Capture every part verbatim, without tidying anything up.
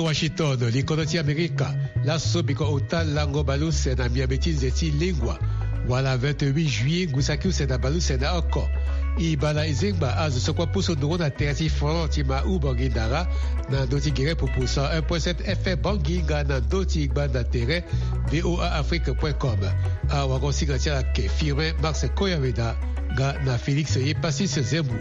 Washington, likodro ti Amerika. Laso biko ota lango baleuse na miambe ti nze ti lengua, wala vingt-huit juillet ngu saki use na baleuse na oko. E baa na e zengba azo so kue apusu nduru na tere ti front ti ma u Bangui Ndara, na ndö ti gere pupu cent un point sept F M Bangui nga na ndö ti gbanda tere V O A Afrique point com. Awarango-singa ti ala ayeke Firmin Max Koyaweda nga na Félix Yepasis Zembu.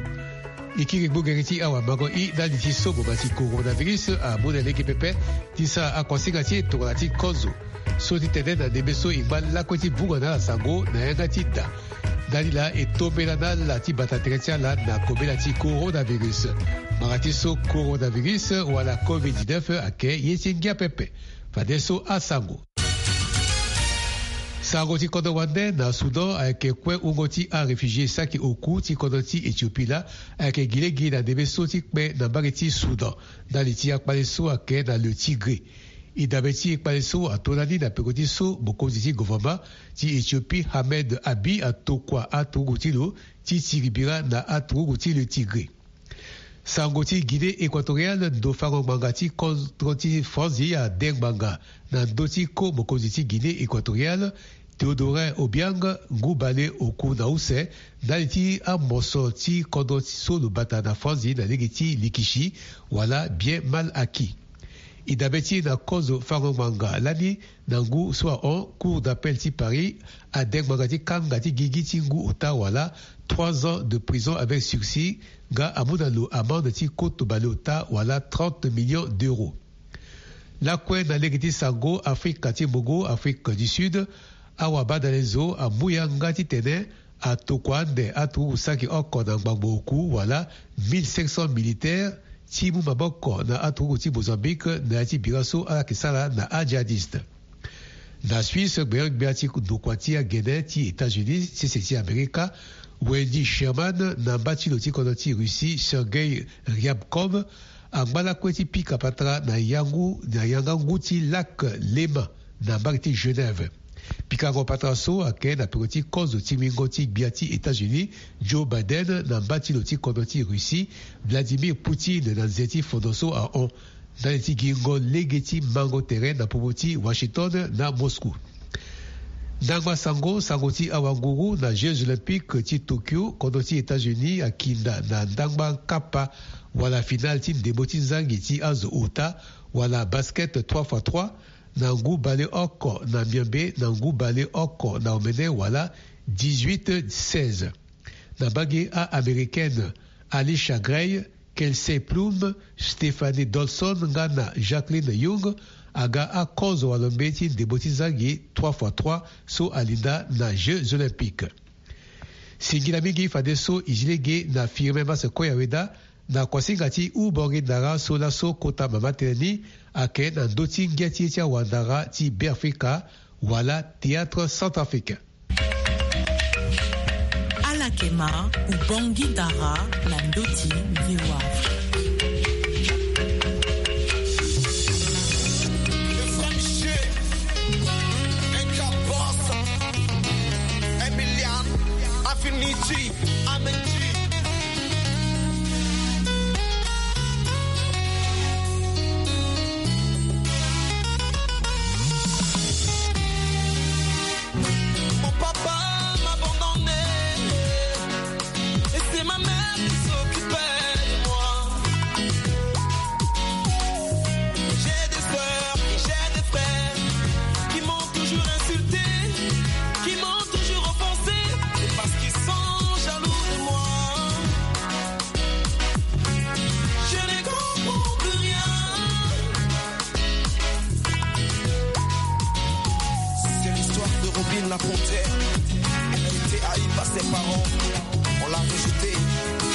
E kiri gbongere ti awamango i ndali ti so boma ti coronavirus amu na lege pepe ti sara akuasinga ti e tongana ti kozo. So ti tene na ndembe so e ngba lakue ti vunga na ala sango na yanga ti da. Ndali laa e tombela na ala ti bata tere ti ala na kobela ti coronavirus. Mara ti so coronavirus wala covid dix-neuf ayeke ye ti ngia pepe. Fadeso asango. Sango ti kodro wande na Soudan ayeke kue wungo ti aréfugié saki oku ti kodro ti Éthiopie laa ayeke gi lege na ndembe so ti kpe na mbage ti Soudan. Ndali ti akpale so ayeke na le Tigré. E dabe ti e kpale so ato lani na peko ti so mokonzi ti gouvernement ti Éthiopie Ahmed Abiy atokua aturugu ti lo ti tiri bira na aturugu ti le Tigré. Sango ti Guinée Équatoriale, ndo fango ngbanga ti kodro ti Franzi ade ngbanga na ndö ti ko mokonzi ti Guinée Équatoriale, Théodorin Obiang, ngu bale oku na use, ndali ti amoso ti kodro so lo bata na Franzi na lege ti likisi wala bien mal acquis. E dabe ti e na kozo fango ngbanga lani na ngu so ahon, Cour d'appel ti Paris ade ngbanga ti kanga ti gigi ti ngu ota wala trois ans de prison avec sursis, nga amu na lo amende ti koto baleota wala trente millions d'euros. Lakue na lege ti sango Afrika ti Mbongo, Afrique du Sud, awabadalezo amu yanga titene atokua ande aturugu saki oko na ngbangbo oku wala mille cinq cents militaires ti mu maboko na aturugu ti Mozambique na ya ti bira so ala yeke sara na ajihadiste. Na Suisse, gbenegbia ti ndokua ti agene ti États-Unis, sese ti Amerika, Wendy Sherman, na mba ti lo ti kodro ti Russie, Sergei Ryabkov, angba lakue ti pika patara na yangu, na yanga ngu ti Lac Léman na mbage ti Genève. Pikango patara so ayeke na peko ti kozo ti wingo ti gbia ti États-Unis, Joe Biden, na mba ti lo ti kodro ti Russie, Vladimir Poutine, na nze ti fondo so ahon. Ndali ti gingo lege ti mango tere na popo ti Washington na Moscou. Ndangba sango, sango ti awanguru na Jeux Olympiques ti Tokyo, kodro ti États-Unis akinda na ndangba nkapa wala finale ti ndembo ti zangi ti azo ota wala basket trois fois trois, na ngu bale oko na miombe na ngu bale oko na omene wala dix-huit seize. Na mbage a-Américaine Alisha Gray, Kelsey Plum, Stephanie Dolson nga na Jacqueline Young aga akozo wala mbeti ndembo ti zangi trois fois trois so alinda na Jeux Olympiques. Singila mingi fadeso e zi lege na Firmin Masse Koyaweda na kuasinga ti Ubongi Ndara so laso kota mama tënë ni ayeke na ndö ti ngia ti ye ti awandara ti Beafrika wala Théâtre Centrafricain. Ala yeke ma Ubongi Ndara na ndö ti V O A Afrique. Emilian Afinichi Amenchi. Mon papa m'a abandonné et c'est ma mère qui s'occupait de moi. J'ai des sœurs et j'ai des frères qui m'ont toujours insulté, qui m'ont toujours offensé, c'est parce qu'ils sont jaloux de moi. Je ne comprends plus rien. C'est l'histoire de Robin la panthère. Elle a été haïe par ses parents. On l'a rejetée.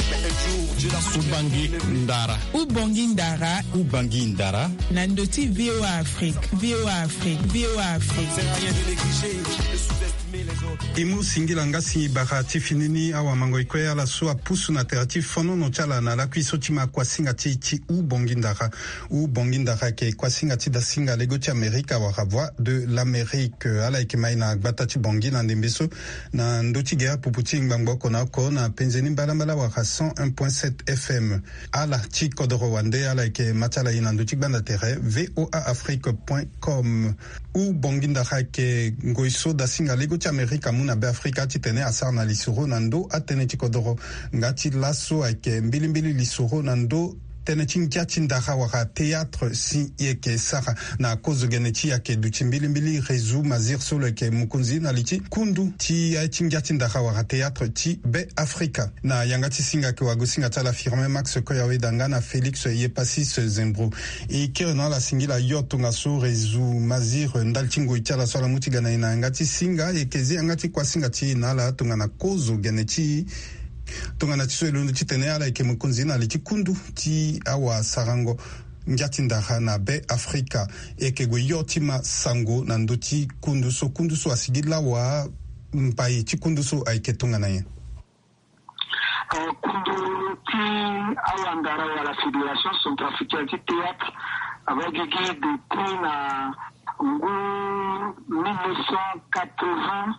Mais un jour, Dieu l'a soutenue. Ubangi Ndara. Ubongi Ndara. Ubangi Ndara. Na ndö ti V O A Afrique, V O A Afrique, V O A Afrique. Ça sert à rien de négliger, de sous-estimer les autres. E mu singila nga si bara ti fini ni awamango e kue ala so apusu na tere ti fonono ti ala na lakui so ti ma kuasinga ti, ti Ubongi Ndara. Ubongi Ndara ayeke kuasinga ti dasinga lego ti Amerika wala Voix de l'Amérique. Ala yeke ma e na gbata ti Bangui na ndembe so na ndö ti gere pupu ti ngbangbo oko na oko na penze ni mbalambala wala cent un point sept F Fm. Ala ti kodoro wande ala yeke ma ti ala e na ndö ti gbanda tere voa afrique point com. Hubongi ndara ayeke ngoi so dasinga lego ti amerika amu na be afrika titene asara na lisoro na ndö atënë ti kodoro. Nga ti laso ayeke mbilimbili lisoro na ndö tënë ti ngia ti ndara wala théâtre si e yeke sara na kozo gene ti e ayeke duti mbilimbili réseau mazir so lo yeke mokonzi na li ti kundu ti aye ti ngia ti ndara wala théâtre ti be afrika. Na yanga ti singa ayeke wagosinga ti ala firme max koyaweda nga na félix yepasis zembro. E kiri na ala singila yo tongaso réseau mazir ndali ti ngoi ti ala so ala mu ti ga na e na yanga ti singa e yeke zi yanga ti kuasinga ti e na ala tongana kozo gene ti tongana ti so e londo titene ala yeke mokonzi na li ti kundu ti awasarango ngia ti ndara na be afrika. E yeke gue yo ti ma sango na ndö ti kundu so kundu so asigi lawa mbai ti kundu so ayeke tongana nyen? Kundu ti awandara wala fédération centrafricaine ti théâtre ava gigi depuis na ngu mille neuf cent quatre-vingts.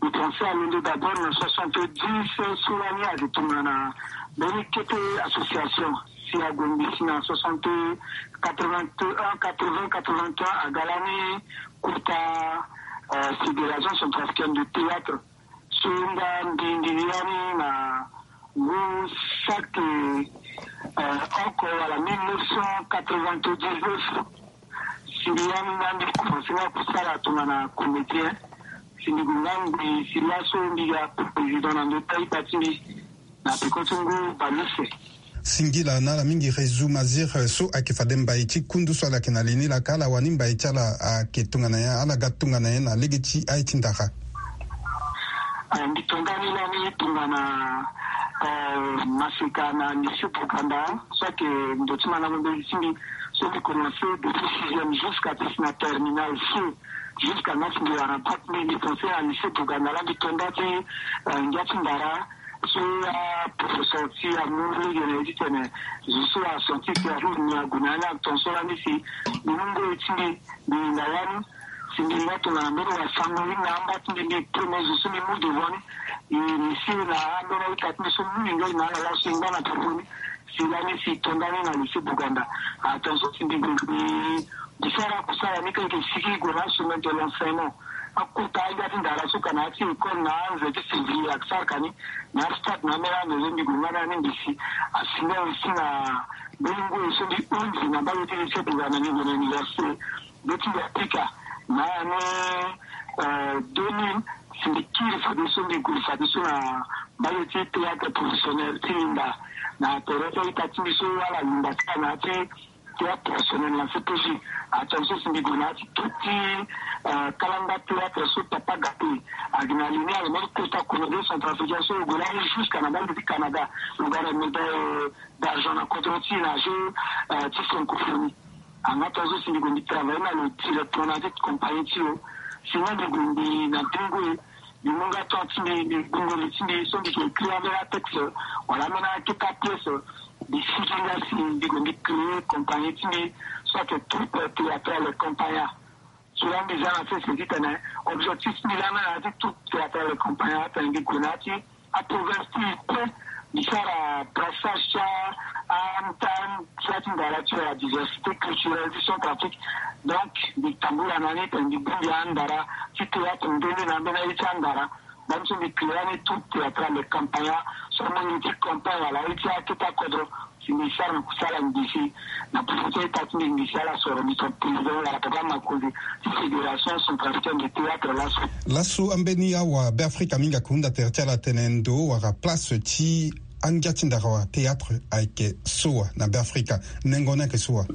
Mbi pense alondo d'abord na soixante-dix so lani ayeke tongana mbeni kete association si ague mbi si na soixante quatre-vingt-un quatre-vingts quatre-vingt-un aga lani kota fédération centrafricaine de théâtre. So nga mbi ndiri yani na ngu saki oko wala mille neuf cent quatre-vingt-dix-neuf. Si mbi yani nga mbi commence nga kusala tongana comédien. Si mbi gue nga mbi si laso mbi ga président na ndö ti aita ti mbi na peko ti ngu balise. Singila na ala mingi réseau mazir so ayeke fade mbai ti kundu so ala yeke na li ni laka ala wani mbai ti ala ayeke tongana nyen ala ga tongana nyen na lege ti aye ti ndara? Mbi tonga ni lani tongana maseka na lycée bouganda so ayeke ndo ti mandango mbeni ti mbi. So mbi commence depuis sixième jusqu'à ti si na terminal c. Jusqu'à na si mbi wara bac mbi mbi pense na lycée bouganda la mbi tonda ti ngia ti ndara. So aprofesseur ti amu lege na ye titene zo so ascientiste ahume ague na ya ni atonso lani si mbi mu ngoi ti mbi mbi hinga ya ni. Si mbi hinga tongana mbeni wasango ni na amba ti mbi mbi premier zo so mbi mu devant ni. E mbi si na ambeni aita ti mbi so mu hinga e na ala laso e ngba na popo ni. Si lani si tonda ni na lycée bouganda. Atonso si mbi gue mbi mbi sara kusala ni keke sigi gue na semaine de l'enseignement. Akota angia ti ndara so ka na ya ti école na anze ti février ake sara ka ni. Na stade na ambeni anze so mbi gue nga na ni mbi si asinga aussi na mbeni ngoi so mbi hunzi na mbage ti lycée bouganda ni gue na université. Nde ti mbi apika na année deux mille. Si mbi kiri fadeso mbi gue fadeso na mbage ti théâtre professionnel ti linda na tere ti aita ti mbi so ala linda ti ala na ya ti théâtre professionnel na C P J. Atongaso si mbi gue na ya ti tout ti kalanga théâtre so papa gate agi na li ni alo mbeni kota comédien centrafricain so lo gue lani jusqu'à na mbage ti canada. Lo ga na médaille d'argent na kodro ti e na jeu ti francophonie. Anga tongaso si mbi gue mbi travaille na lo directement na ya ti compagnie ti lo. Si nga mbi gue mbi na bingo e mbi mu nga temps ti mbi mbi gbungo li ti mbi so mbi ke écrire ambeni atexte wala ambeni akete apièce. Mbi sigi nga si mbi gue mbi créer compagnie ti mbi so ayeke troupe théâtrale compagna. So la mbi za na sese titene objectif ti mbi lani na ya ti troupe théâtrale compagna atene mbi gue na ya ti aprovince ti e kue. Mbi sara brassage ti a ti a ti ndara ti wala diversité culturelle ti centrafrique. Donc mbi tambula na ni tene mbi bongbi andara ti théâtre nde nde na ambeni aye ti andara. Bani so mbi créer ani troupe théâtrale campagna so amu ni ti campagne wala aye ti akete akodro. Si mbi sara na kusala ngbisi na popo ti aita ti mbi ngbisi ala soro mbi tonga président wala papa makonzi ti fédération centrafricaine de théâtre laso. Laso ambeni awa beafrika mingi ayeke hunda tere ti ala atene ndo wala place ti angia ti ndara wala théâtre ayeke so wa na beafrika? Nengo ni ayeke so wa?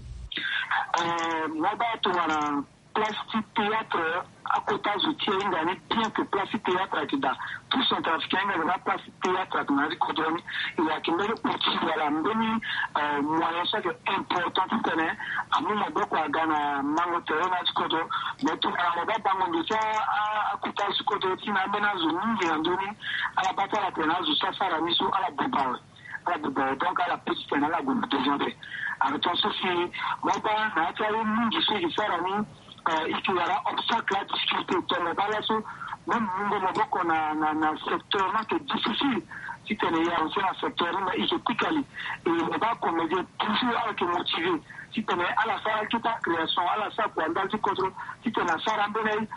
Mo baa tongana place ti théâtre akota zo ti e ahinga ni bien que place ti théâtre ayeke daa. Tout centrafricain ahinga daa place ti théâtre ayeke na ya ti kodro ni. E ayeke mbeni outil wala mbeni moyen so ayeke important titene amu maboko aga na mango tere na ya ti kodro. Mais tongana mo baa bango ndo ti akota zo ti kodro ti na ambeni azo mingi na ndö ni ala baa ti ala tene azo so asara ni so ala buba awe. Ala buba awe donc ala pe titene ala gue na devant ape. Alors tongaso si mo baa na ya ti aye mingi so e ke sara ni e ke wara obstacle adiscuter tongana baa laso même mungo maboko na na na secteur ni ayeke difficile. titene ya aussi na secteur ni me i ke pika li. E mo baa comédien toujours ala ke motivé titene ala sara keta création, ala sara kua ndali ti kodro titene asara ambeni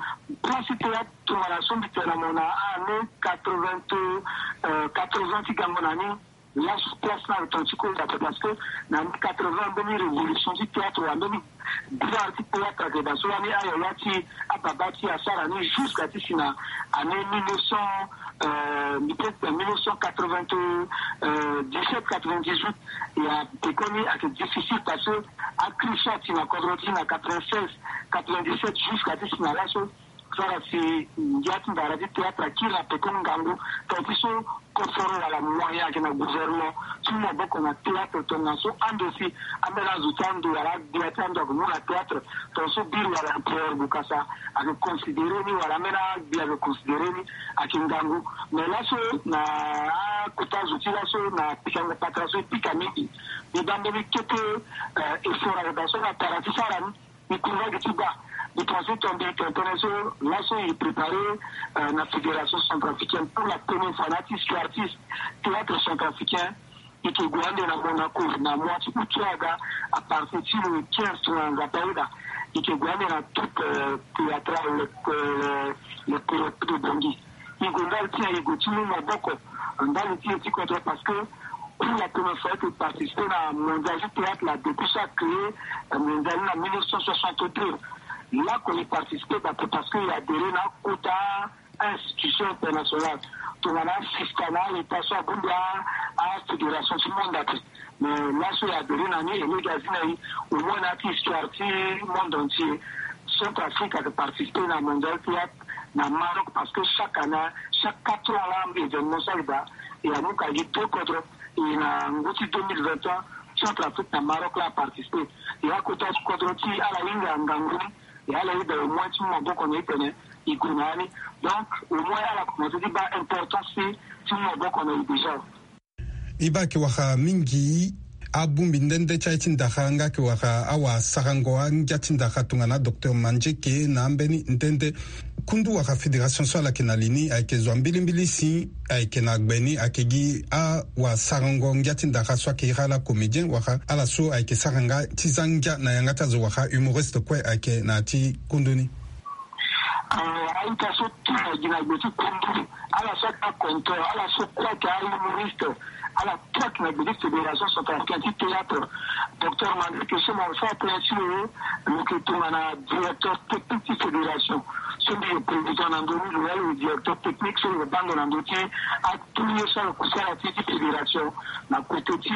place ti théâtre. Tongana so mbi tene na mo na année quatre-vingt, quatre-vingt ti gango na ni. Laso place ni ake ton ti koda pe parce que na quatre-vingt ambeni révolution ti théâtre wala ambeni gloire ti théâtre ake daa so wani ayaya ti ababa ti asara ni jusqu'à ti si na année mille neuf cent, euh, mbi peut na mille neuf cent quatre-vingt-dix-sept quatre-vingt-dix-huit. Ya pekoni ake difficile parce que akri so ati na kodro ti na quatre-vingt-seize quatre-vingt-dix-sept jusqu'à ti si na laso. Sara si ngia ti ndara ti théâtre akiri na peko ngangu. Tongana ti so koforo wala moyen ayeke na gouvernement ti mu maboko na théâtre tongana so ande si ambeni azo ti ando wala agbia ti ando ayeke mu na théâtre. Tongana so biri wala empereur bukasa ayeke considéré ni wala ambeni agbia ayeke considéré ni ayeke ngangu. Mais laso na akota zo ti laso na pikango patara so e pika mingi. Mbi baa mbeni kete effort ayeke daa so na tara ti sara ni. Mbi kunda gi ti baa. Mbi pense ton mbi tene tënë so laso e préparé na fédération centrafricaine pour la première fois na ti histoire ti théâtre centrafricain. E ke gue ande na Monaco na mois ti août so aga à partir ti le quinze tongana Nzapa ayeda. E ke gue ande na troupe théâtrale le le le de Bangui. E gue ndali ti nyen? E gue ti mu maboko ndali ti e ti kodro parce que pour la première fois e ke participer na mondial ti théâtre la depuis so a créé mondial ni na mille neuf cent soixante-deux. Lako e participer daa pe parce que e adhérer na akota institution internationale. Tongana asista na aleta so abongbi afédération ti monde ape. Mais laso e adhérer na ni e lege azi na e au moins na ya ti histoire ti monde entier. Centrafrique ake participer na mondial théâtre na Maroc parce que chaque année, chaque quatre ans la événement so ake daa. E amu ka gi deux kodro. E na ngu ti deux mille vingt et un Centrafrique na Maroc la aparticiper. E akota ti kodro ti ala hinga ngangu ni. E ala yeda au moins ti mu maboko na e tene e gue na ya ni. Donc au moins ala commencer ti baa importance ti ti mu maboko na e déjà. E baa ayeke wara mingi abongbi nde nde ti aye ti ndara nga ayeke wara awasarango angia ti ndara tongana docteur Mandieke na ambeni nde nde. Kundu wara fédération so ala yeke na li ni ayeke zo ya mbilimbili si ayeke na gbe ni ayeke gi awasarango ngia ti ndara so ayeke iri ala comédien wara ala so ayeke sara nga ti za ngia na yanga ti azo wara humoriste kue ayeke na ya ti kundu ni. Aita so ti na gi na gbe ti kundu ala so ake aconteur ala so kue ayeke ahumoriste ala tout ayeke na gbe ti fédération centrafricaine ti théâtre. Docteur Mandieke so mo so atene ti lo lo yeke tongana directeur technique ti fédération. So mbi yeke président na ndö ni lo ya lo yeke directeur technique so lo yeke baa ndo na ndö ti atout ye so ala yeke kusala ti ti fédération na côté ti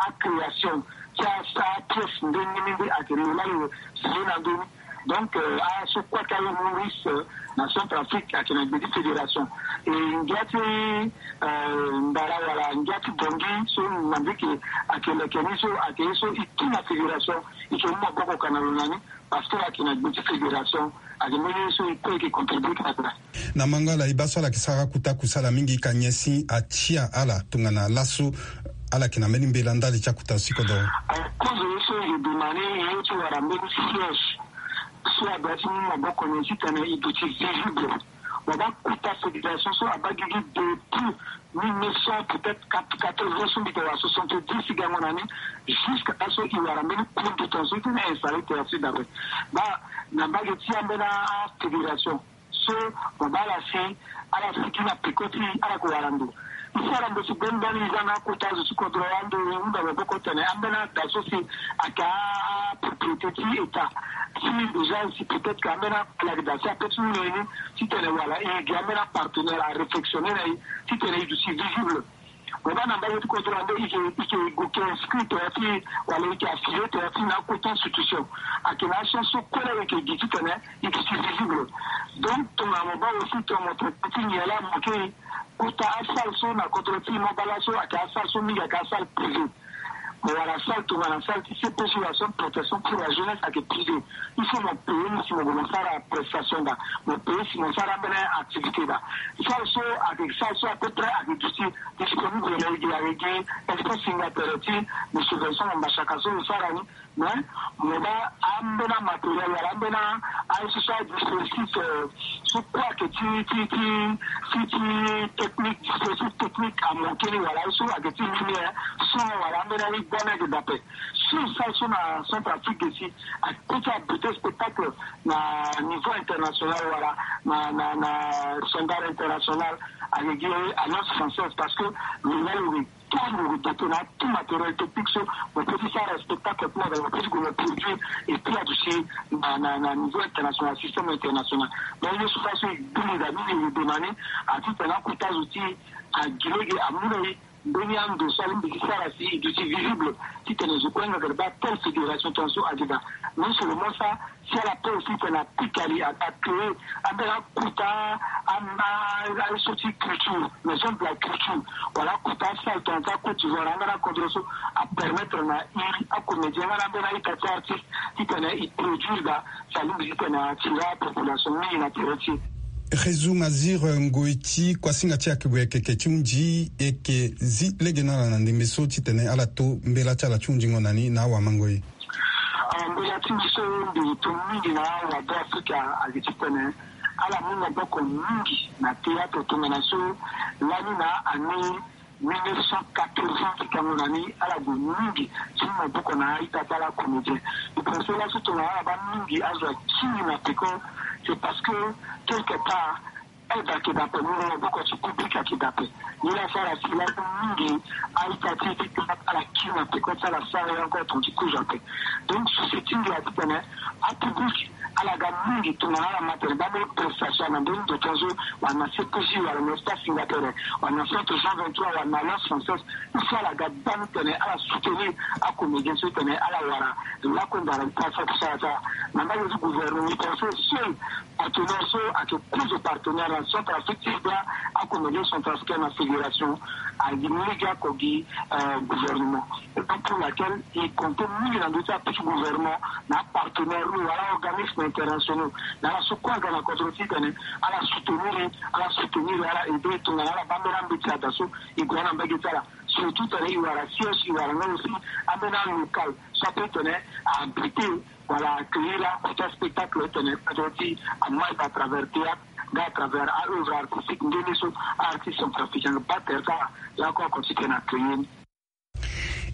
acréation ti apièce ndenge ni nde ayeke lo la lo signé na ndö ni. Donc aso kue ake ahumoriste na Centrafrique ayeke na gbe ti fédération. E ngia ti ndara wala ngia ti Bangui so Mandieke ayeke leke ni so ayeke ye so e tu na fédération. E yeke mu maboko ka na lo na ni parce que ayeke na gbe ti fédération. Ayeke mbeni ye so e kue e yeke contribuer ka na. Na mango ala e baa so ala yeke sara kota kusala mingi ka nyen si atia ala tongana laso ala yeke na mbeni mbela ndali ti akota so si kodoro. Kozo ye so e yeke demandé ye ti wara mbeni siège so adoit ti mu maboko na e titene e duti visible. Mo baa kota fédération so abaa gigi depuis mille neuf cent peut-être quatre-vingts so mbi tene wala soixante-dix ti gango na ni. Jusqu'à laso e wara mbeni compétence so e tene installé théâtre ti dape. Baa na mbage ti ambeni afédération so mo baa ala si ala sigi na peko ti ala yeke wara ndo. E sara ndo si gbeni gbani e za na akota azo ti kodro ando e hunda maboko tene ambeni ada so si ayeke apropriété ti état. Si déjà si peut-être que ambeni akpale ayeke daa si ape ti mu na e ni titene wala e gi ambeni apartenaire aréflexionné na e titene e duti visible. Mo baa na mbage ti kodro ande e ke e ke go ke inscrit tongana ti wala e ke affilié tongana ti na akota institution. Ayeke na achance so kue la e ke gi titene e duti visible. Donc tongana mo baa aussi tongana mo traité ti nyen la mo ke kota asalle so na kodro ti mo baa laso ayeke asalle so mingi ayeke asalle privé. Mo wara salle tongana salle ti C P J wala centre protection pour la jeunesse ayeke privé. Il faut mo payer ni si mo gue mo sara prestation daa. Mo payer si mo sara ambeni activité daa. Salle so ayeke salle so à peu près ayeke duti disponible na e gi ayeke gi espace singa tere ti mo subvention na mbasaka so lo sara ni. Mais mo baa ambeni amatériel wala ambeni aye so so adispositif so kue ayeke ti ti ti ti ti technique, dispositif technique amanke ni wala aye so ayeke ti lumière, son wala ambeni aye gbani ayeke daa ape. So e sara so na Centrafrique si akota abute spectacle na niveau international wala na na na standard international, ayeke gi Alliance Française, parce que lo nga lo re tout lo re doté na tout matériel technique so mo peut ti sara spectacle ti mo aza mo peut ti gue mo produire et puis aduti na na na niveau international, système international. Donc ye so fa so e gbu mo daa ni, e re dema ni, a titene akota zo ti e agi lege amu na e mbeni ando so alingbi ti sara si e duti visible, titene zo kue nga gere baa telle fédération tongaso agi daa. Non seulement ça, si ala peut aussi titene apika li, a a créer ambeni akota a a aye so ti culture, maison de la culture, wala akota asalle tongana ti a Côte d'Ivoire, ambeni akodro so apermettre na e, acomédien nga na ambeni a-ita ti artiste, titene e produire daa, si alingbi titene atira population mingi na tere ti e. Réseau Mazir, eh, ngoi ti kuasinga ti e ayeke gue yeke ti hunzi, e yeke zi lege na ala na ndembe so titene ala to mbela ti ala ti hundingo na ni na awamangoi. Ah, mbela ti mbi so mbi to mingi na awabeafrika ayeke titene ala mu maboko mingi na théâtre tongana so lani na année mille neuf cent quatre-vingts ti kango na ni ala gue mingi ti mu maboko na a-ita ti ala comédien. E pense laso tongana ala baa mingi azo akiri na peko, c'est parce que quelque part aide ayeke daa ape, mu na maboko ti public ayeke daa ape. Ni laa asara si laa mingi a-ita ti ti théâtre ala kiri na peko ti ala sara ye encore tongana ti kozo ape. Donc société ngia titene apublic ala ga mingi tongana ala ma tene baa mbeni prestation na mbeni ndo tongaso, wala na C P J, wala na Espace Singapore, wala na Centre Jean vingt-trois, wala na Alliance Française. Il faut ala ga baa ni tene ala soutenir acomédien so titene ala wara lakue ndara ti asara kusala ti ala. Na mbage ti gouvernement, e pense seul partenaire so ayeke kozo partenaire na Centrafrique ti baa acomédien centrafricain na fédération, agi lege oko gi, euh, gouvernement. Raison pour laquelle e compte mingi na ndö ti aputi gouvernement na apartenaire ni wala organisme internationaux na ala so kue aga na kodro titene ala soutenir e, ala soutenir e, ala aider e tongana ala baa mbeni ambeti ada so e gue na mbage ti ala. Surtout titene e wara siège, e wara nga aussi ambeni alocal so ape titene a abriter wala accueillir akota spectacle titene kodro ti e amai à travers théâtre nga à travers a-œuvre artistique nde ni so a-artiste centrafricain baa tere ti ala. Ye oko oko titene accueillir ni.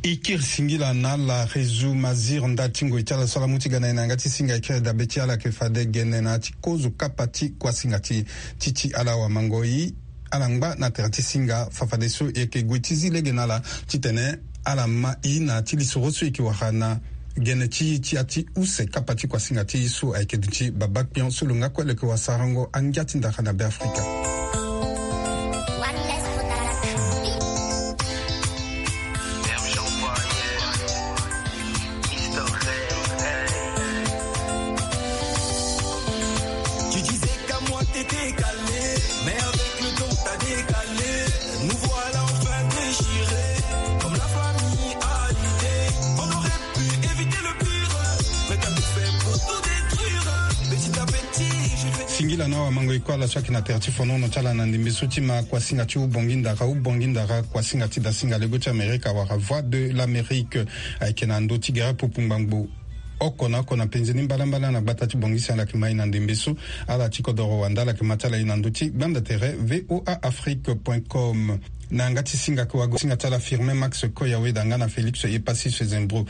E kiri singila na ala Réseau Mazir ndali ti ngoi ti ala so ala mu ti ga na e na yanga ti singa. E kiri dabe ti ala ayeke fade gene na ya ti kozo kapa ti kuasinga ti ti ti ala wamangoi. Ala ngba na tere ti singa fafadeso e yeke gue ti zi lege na ala titene ala ma e na ya ti lisoro so e yeke wara na gene ti e ti ya ti use kapa ti kuasinga ti e so ayeke duti Baba Kpion so lo nga kue lo yeke wara sarango angia ti ndara na Beafrika. Tu disais qu'à moi t'étais calé, mais avec le temps t'as décalé. Nous voilà enfin déchirés, comme la famille a l'idée. On aurait pu éviter le pire, mais t'as tout fait pour tout détruire. Petit à petit, j'ai fait... Singila na wamangoi kue ala so ayeke na tere ti fonono ti ala na ndembe so ti ma kuasinga ti Ubongi Ndara, Ubongi Ndara, kuasinga ti dasinga lego ti Amerika wala Voix de l'Amérique. Ayeke na ndö ti gere pupu ngbangbo oko na oko na penze ni mbalambala na gbata ti Bongisi ala yeke ma e na ndembe so. Ala ti kodoro wanda ala yeke ma ti ala e na ndö ti gbanda tere V O A Afrique point com. Na yanga ti singa ayeke wago singa ti ala Firmin Max Koyaweda nga na Félix Epasis Zembro.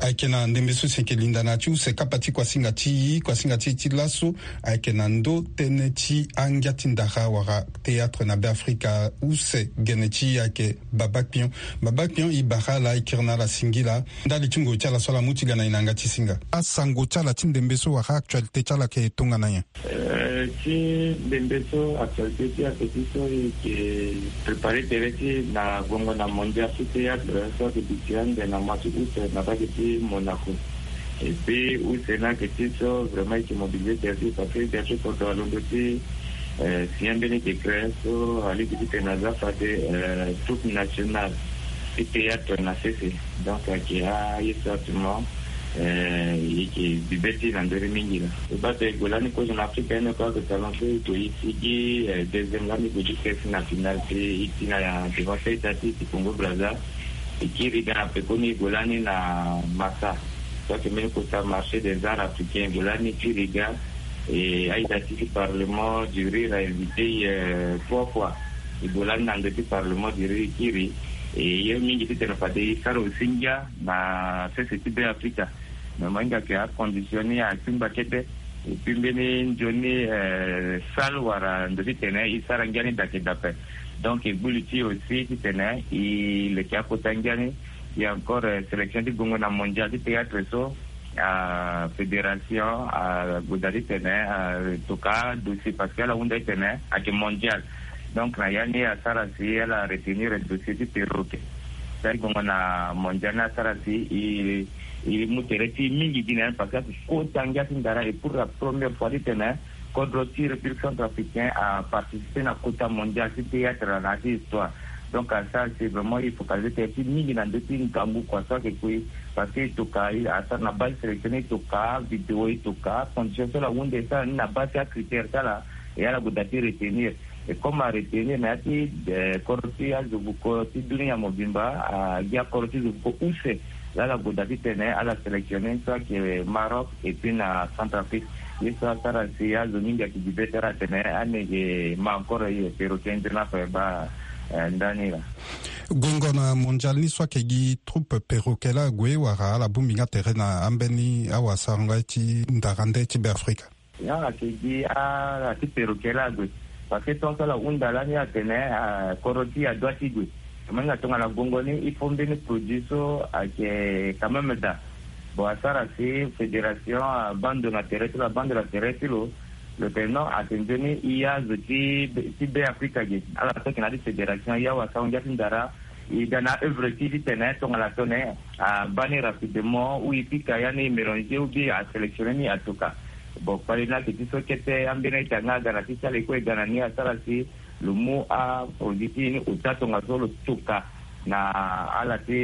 Ayeke na ndembe so si e yeke linda na ya ti use kapa ti kuasinga ti e, kuasinga ti e ti laso ayeke na ndö tënë ti angia ti ndara wala théâtre na Beafrika. Use gene ti e ayeke Baba Kpion. Baba Kpion, e bara ala, e kiri na ala singila ndali ti ngoi ti ala so ala mu ti ga na e na yanga ti singa. Asango ti ala ti ndembe so wala actualité ti ala ayeke tongana nyen? Eh, ti ndembe so, actualité ti ayeke ti so e yeke préparer tere ti e na gongo na Mondial ti théâtre so ayeke duti ande na mois ti août na mbage ti Monaco. Et puis use ni ayeke ti so vraiment e yeke mobiliser tere ti e parce que e yeke ti kodro alondo ti, eh, signer mbeni décret so alingbi titene aza fade, eh, troupe nationale ti théâtre na sese. Donc ayeke aye so actuellement, eh, e yeke bibe ti e na ndö ni mingi laa. E baa tene e gue lani kozo na Afrika ni oko ayeke talon so e gue e sigi, eh, deuxième lani e gue jusque si na finale ti e ti na devant ti a-ita ti e ti Congo Brazza. E kiri ga na pekoni e gue lani na Massa. Ake mbeni kota marché des arts africains, gue lani ti riga. E aida ti ti parlement du rire a invité, trois fois. E gue lani na ndö ti parlement du rire kiri. E ye mingi titene fade e sara aussi ngia na sese ti be africa. Mais mo hinga ke acondition ni atingba kete. Et puis mbeni nzoni sale wala ndo titene e sara ngia ni dake dape. Donc e gbu li ti e aussi titene e leke akota ngia ni. E encore sélection ti gongo na mondial ti théâtre so, a fédération ague daa titene atoka dossier parce que ala hunda titene ake mondial. Donc na ya ni asara si ala retenir dossier ti perroquet. Sari gongo na mondial ni asara si e mu tere ti e mingi gi na ya ni parce que akota ngia ti ndara et pour la première fois titene kodro ti république centrafricain aparticiper na kota mondial ti théâtre na ya ti histoire. Donc asara si vraiment e focaliser tere ti mingi na ndö ti ngangu kua so ake kui. Parce que e toka asara na base sélection e toka vidéo e toka condition so ala hunda e sara ni na base ti acritère ti ala. E ala gue daa ti retenir. Et comme aretenir na ya ti kodro ti azo vuko ti dunia mobimba, agi akodro ti zo vuko use. Laa ala gue daa titene ala sélectionner so ake Maroc et puis na Centrafrique. Ye so asara si azo mingi ake gi be tara atene ane ge ma encore ye perroquet nzoni ape baa ndani laa. Gongo na mondial ni so ake gi troupe perroquet laa ague wala ala bongbi nga tere na ambeni awasarango ye ti ndara nde ti be afrika? Ya ake gi ala ti perroquet laa ague. Parce que tant so ala hunda lani atene kodro ti e adoit ti gue. Mo hinga tongana gongo ni il faut mbeni produit so ake quand même daa. Bon asara si fédération abandon na tere ti lo abandon na tere ti lo. Lo tene non ake nzoni e ya zo ti be afrika ge ala so ake na ya ti fédération ya wasarango ngia ti ndara. E ga na œuvre ti e titene tongana tone abaa ni rapidement ou e pika ya ni e mélanger ou bien asélectionner ni atoka. Bon kpali ni ake ti so kete ambeni a-ita nga aga na ti ti ala e kue e ga na ni asara si lo mu aproduit ti e ni ota tongaso lo toka na ala ti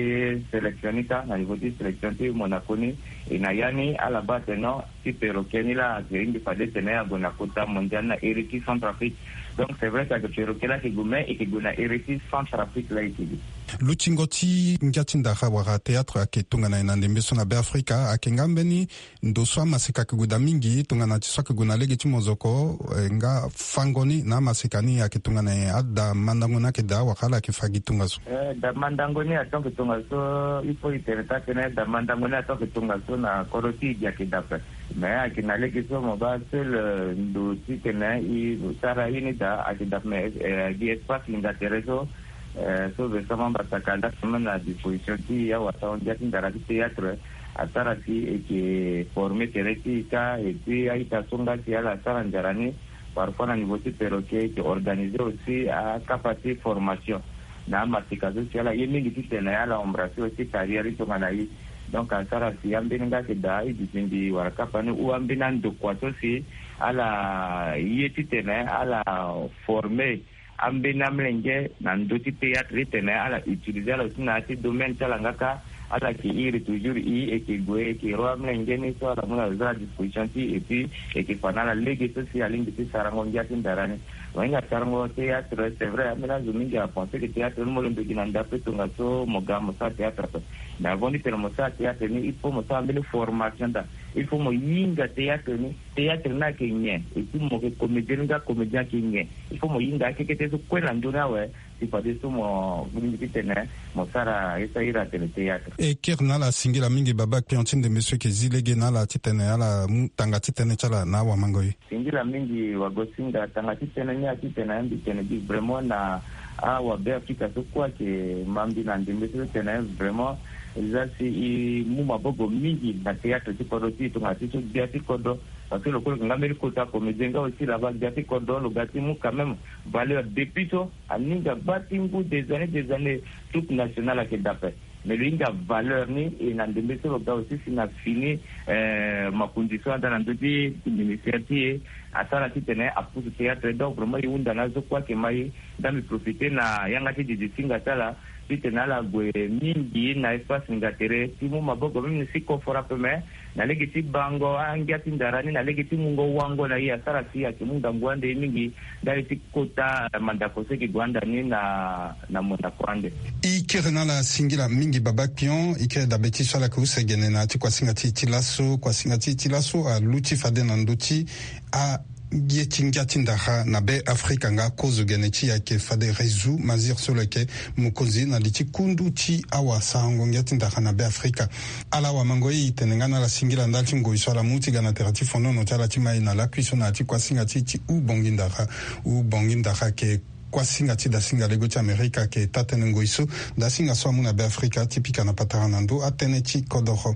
sélection ni kâ na niveau ti sélection ti Monaco ni. E na ya ni ala baa atene non ti perroquet ni laa ake hingi fade tene ague na kota mondial na ere ti Centrafrique. Donc c'est vrai que ake perroquet laa ake gue mais eke gue na ere ti Centrafrique laa eke gue. Lutingo ti ngia ti ndara wala théâtre ake tongana e na ndembe so na be afrika ake nga mbeni ndo so amaseka ake gue daa mingi tongana ti so ake gue na lege ti mozoko nga fango ni na amaseka ni ake tongana e ada mandango ni ake daa wala ala ake fa gi tongaso? Eh, da mandango ni ato ake tongaso. Il faut e tene taa tene da mandango ni ato ake tongaso na kodro ti e gi ake dape. Mais ake na lege so mo baa seul ndo titene e sara ye ni daa ake dape mais gi espace linda tere so. So versement mbasaka laa semaine na disposition ti e awasarango ngia ti ndara ti théâtre. Asara si eke former tere ti e kâ et puis a-ita so nga si ala sara nzara ni. Parfois na niveau ti perroquet eke organiser aussi akapa ti formation na amaseka so si ala ye mingi titene ala embrasser aussi carrière ti tongana e. Donc asara si ambeni nga ake daa e duti mbi wala kapa ni ou ambeni andokua so si ala ye titene ala former ambeni amolenge na ndö ti théâtre titene ala utiliser ala aussi na ya ti domaine ti ala nga kâ. Ala ke iri toujours e eke gue eke ro amolenge ni so ala mu na zo a disposition ti e et puis eke fa na ala lege so si alingbi ti sarango ngia ti ndara ni. Mo hinga sarango théâtre c'est vrai ambeni azo mingi apenser ke théâtre ni mo londo gi na ndape tongaso mo ga mo sara théâtre ape. Mais avant titene mo sara théâtre ni il faut mo sara mbeni formation daa. Il faut mo hinga théâtre ni. Théâtre ni ake nyen et puis mo ke comédien ni nga comédien ake nyen. Il faut mo hinga akekete so kue na ndö ni awe. Si fadeso mo lingbi titene mo sara ye so ahiri atene théâtre. E kiri na ala singila mingi baba kpion ti ndembe so eke zi lege na ala titene ala mu tanga ti tënë ti ala na awamango ye. Singila mingi wagosinga tanga ti tënë ni atitene mbi tene gi vraiment na awabe afrika so kue ake ma mbi na ndembe so titene vraiment eza si e mu maboko mingi na théâtre ti kodro ti e tongana ti so gbia ti kodro. Parce que lo kue lo yeke nga mbeni kota comédien nga aussi laba gbia ti kodro lo ga ti mu quand même valeur depuis so aninga bâ ti ngu des années des années. Toute nationale ayeke dape. Mais lo hinga valeur ni e na ndembe so lo ga aussi si na fini makonzi so ada na ndö ti ministère ti e asara titene apousse théâtre. Donc vraiment e hunda na azo kue ayeke ma e. Nda mbi profiter na yanga ti didi singa ti ala Titene ala gue mingi na espace nga tere ti mu maboko même ni si kofora pe me na lege ti bango angia ti ndara ni na lege ti mungo wango na ye asara si ayeke mu ngangu ande ye mingi. Ndali ti kota mandako so eke gue ande ni na na mondako ande. E kere na ala singila mingi baba pion e kere dabe ti so ala yeke use gene na ya ti kuasinga ti e ti laso kuasinga ti e ti laso aluti fade na ndö ti a ye ti ngia ti ndara na be afrika nga akozo gene ti e ayeke fade rezu mazir so lo yeke mokonzi na li ti kundu ti awasarango ngia ti ndara na be afrika. Ala wamango e tene nga na ala singila ndali ti ngoi so ala mu ti ga na tere ti fonono ti ala ti mai na lakui so na ya ti kuasinga ti e ti u bongi ndara. U bongi ndara ayeke kuasinga ti dasinga lego ti amerika ayeke taa-tënë ngoi so dasinga so amu na be afrika ti pika na patara na ndö atënë ti kodoro.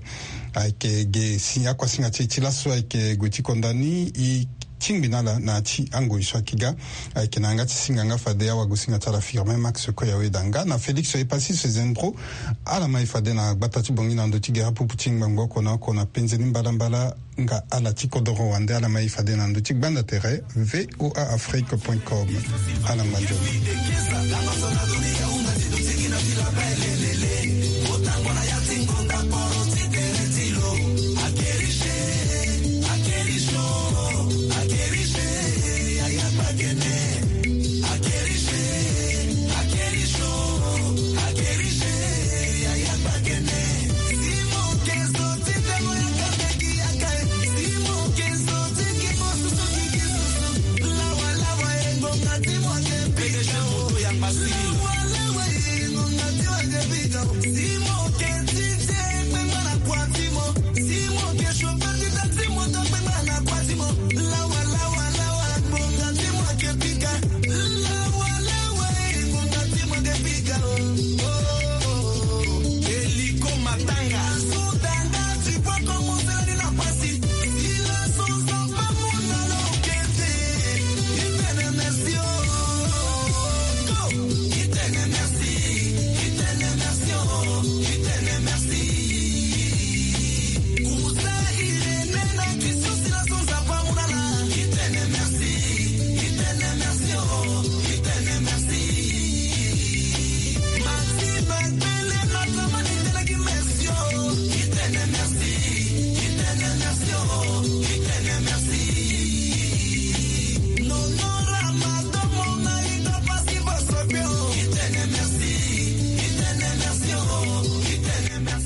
Ayeke ge si akuasinga ti e ti laso ayeke gue ti konda ni e tingbi na ala na ya ti angoi so ayeke ga. Ayeke na yanga ti singa nga fade awagosinga ti ala firme max koya weda nga na félix epassis zendro. Ala mai fade na gbata ti bongi na ndö ti gere apupu ti ngbangbo oko na oko na penze ni mbalambala. Nga ala ti kodoro wande ala mai fade na ndö ti gbanda tere voa afrique point com. Ala ngbangbo.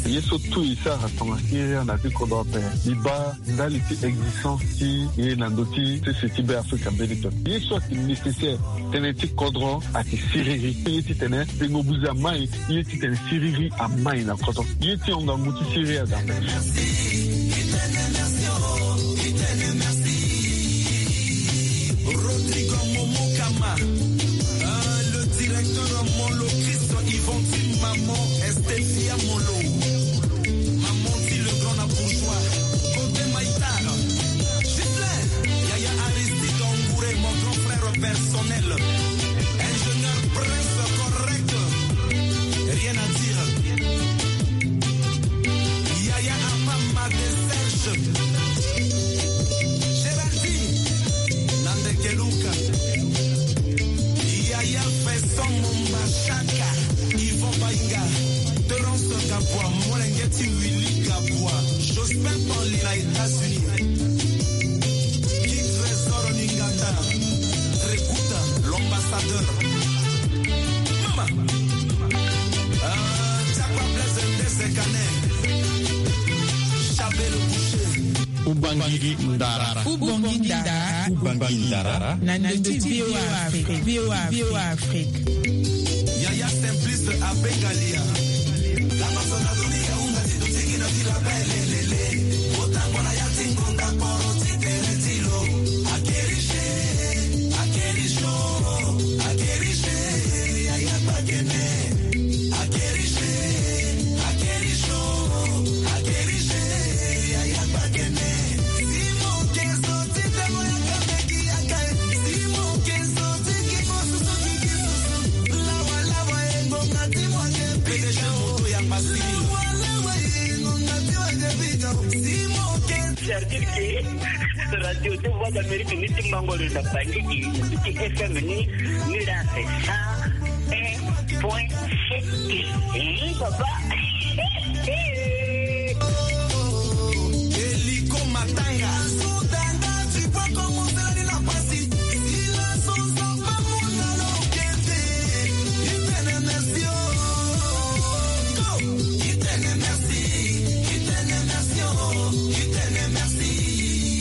Ye so tout e sara tonga siria na ti kodro ape. Mbi baa ndali ti existence ti ye na ndö ti sese ti be afrika mbeni toni ye so ayeke nécessaire. Tënë ti kodro ayeke siriri ye titene tengo buze amai ye titene siriri amai na kodro ye ti hongangu ti siriri aza. Rodrigo Momokama, euh, le directeur Molo Christ Yvon Tim Maman Estefia Molo. Maman dit le grand na bourgeois. Côté Maïtar, Gislain, Yaya Aristide Angouré, mon grand frère personnel. Ingénieur prince correct, rien à dire. Yaya Amama de Serge, Géraldine, Nandekeluka. Yaya Vincent Mombachaka, Yvon Bainga, Terence Gabwa, molenge ti Willy Gabwa, Jospin Pauli na États-Unis, Guy Trésor Ningata, Trekuta, l'ambassadeur. Mama, ah, Chapa Blaise Ndese Kane, Chabelo Boucher. Ubangiri Ndara. Ubangiri Ndara. Ubangiri Ndara. Na ndö ti V O A Afrique. V O A Afrique. Yaya Simplice Abengalia. C'est-à-dire que radio ti Voix d'Amérique ni ti mango lo na bangiki ti F M ni ni la c'est ça. Point sept. Eh, papa.